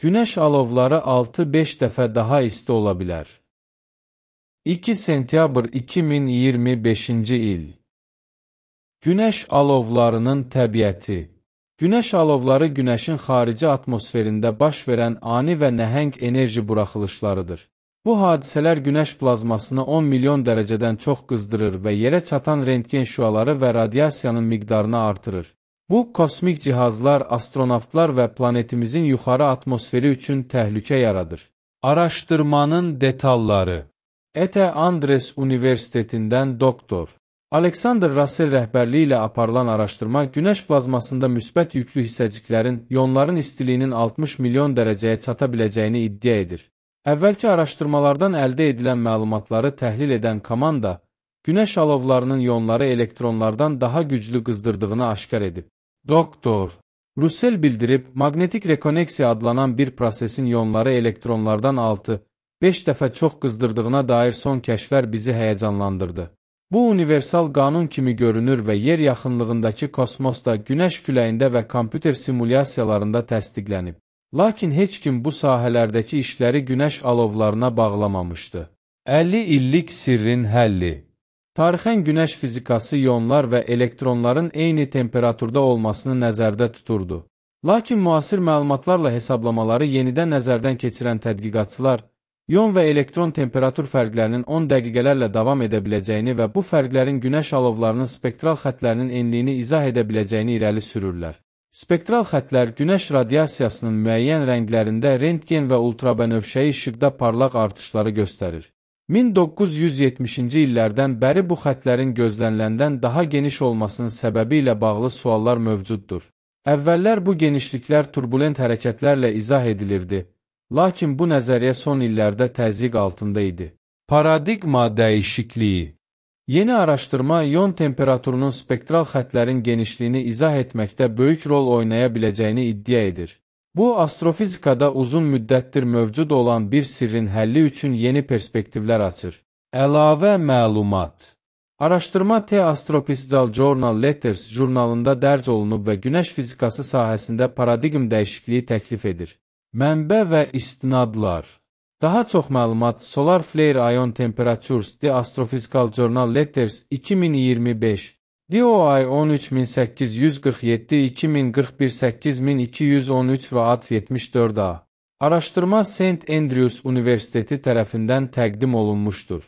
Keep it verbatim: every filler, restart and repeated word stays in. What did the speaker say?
Günəş alovları altı beş dəfə daha isti ola bilər. iki sentyabr iki min iyirmi beşinci il. Günəş alovlarının təbiəti. Günəş alovları Günəşin xarici atmosferində baş verən ani və nəhəng enerji buraxılışlarıdır. Bu hadisələr Günəş plazmasını on milyon dərəcədən çox qızdırır və yerə çatan rentgen şüaları və radiasiyanın miqdarını artırır. Bu, kosmik cihazlar, astronavtlar və planetimizin yuxarı atmosferi üçün təhlükə yaradır. Araşdırmanın detalları. E T Andres Universitetindən doktor Alexander Russell rəhbərliyi ilə aparılan araşdırma Günəş plazmasında müsbət yüklü hissəciklərin ionların istiliyinin altmış milyon dərəcəyə çata biləcəyini iddia edir. Əvvəlki araşdırmalardan əldə edilən məlumatları təhlil edən komanda, Günəş alovlarının ionları elektronlardan daha güclü qızdırdığını aşkar edib. Doktor Russell bildirib, maqnetik rekoneksiya adlanan bir prosesin ionları elektronlardan altı beş dəfə çox qızdırdığına dair son kəşflər bizi həyəcanlandırdı. Bu, universal qanun kimi görünür və yer yaxınlığındakı kosmosda, Günəş küləyində və kompüter simulyasiyalarında təsdiqlənib. Lakin heç kim bu sahələrdəki işləri Günəş alovlarına bağlamamışdı. əlli illik sirrin həlli. Tarixən Günəş fizikası ionlar və elektronların eyni temperaturda olmasını nəzərdə tuturdu. Lakin müasir məlumatlarla hesablamaları yenidən nəzərdən keçirən tədqiqatçılar, ion və elektron temperatur fərqlərinin on dəqiqələrlə davam edə biləcəyini və bu fərqlərin Günəş alovlarının spektral xətlərinin enliyini izah edə biləcəyini irəli sürürlər. Spektral xətlər Günəş radiasiyasının müəyyən rənglərində rentgen və ultrabənövşəyi işıqda parlaq artışları göstərir. min doqquz yüz yetmişinci illərdən bəri bu xətlərin gözləniləndən daha geniş olmasının səbəbi ilə bağlı suallar mövcuddur. Əvvəllər bu genişliklər turbulent hərəkətlərlə izah edilirdi, lakin bu nəzəriyyə son illərdə təzyiq altında idi. Paradigma dəyişikliyi. Yeni araşdırma ion temperaturunun spektral xətlərin genişliyini izah etməkdə böyük rol oynaya biləcəyini iddia edir. Bu, astrofizikada uzun müddətdir mövcud olan bir sirrin həlli üçün yeni perspektivlər açır. Əlavə məlumat. Araşdırma The Astrophysical Journal Letters jurnalında dərc olunub və Günəş fizikası sahəsində paradigm dəyişikliyi təklif edir. Mənbə və istinadlar. Daha çox məlumat Solar Flare Ion Temperatures The Astrophysical Journal Letters iki min iyirmi beş D O I on üç min səkkiz yüz qırx yeddi iki min qırx bir səkkiz min iki yüz on üç və A D yetmiş dörd A. Araşdırma Saint Andrews Universiteti tərəfindən təqdim olunmuşdur.